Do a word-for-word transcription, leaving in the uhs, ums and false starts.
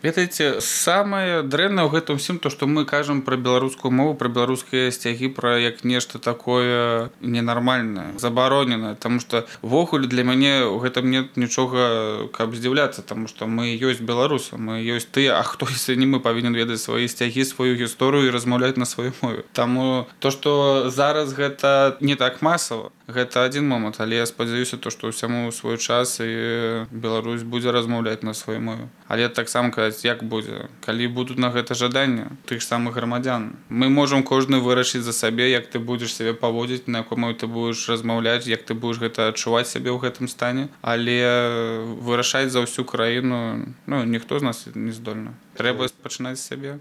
Ведаеце, самае дрэннае ў гэтым усім то, што мы кажам пра беларускую мову, пра беларускія сцягі, пра як нешта такое ненармальнае, забароненае, таму што ўвогуле для мяне ў гэтым нет нічога, каб здзіўляцца, таму што мы ёсць беларусы, мы ёсць тыя, а хто если не мы павінен ведаць свае сцягі, сваю гісторыю і размаўляць на сваёй мове. Таму то, што зараз гэта не так масава, гэта адзін момант, але я спадзяюся то, што ўсяму свой час і Беларусь будзе размаўляць на сваёй мове. Але таксама казаць, як будзе, калі будуць на гэта жаданне тых самых грамадзян. Мы можам кожны вырашыць за сабе, як ты будзеш сябе паводзіць, на якой мове ты будзеш размаўляць, як ты будзеш гэта адчуваць сябе ў гэтым стане, але вырашаць за ўсю краіну, ну, ніхто з нас не здольны. Трэба пачынаць з сябе.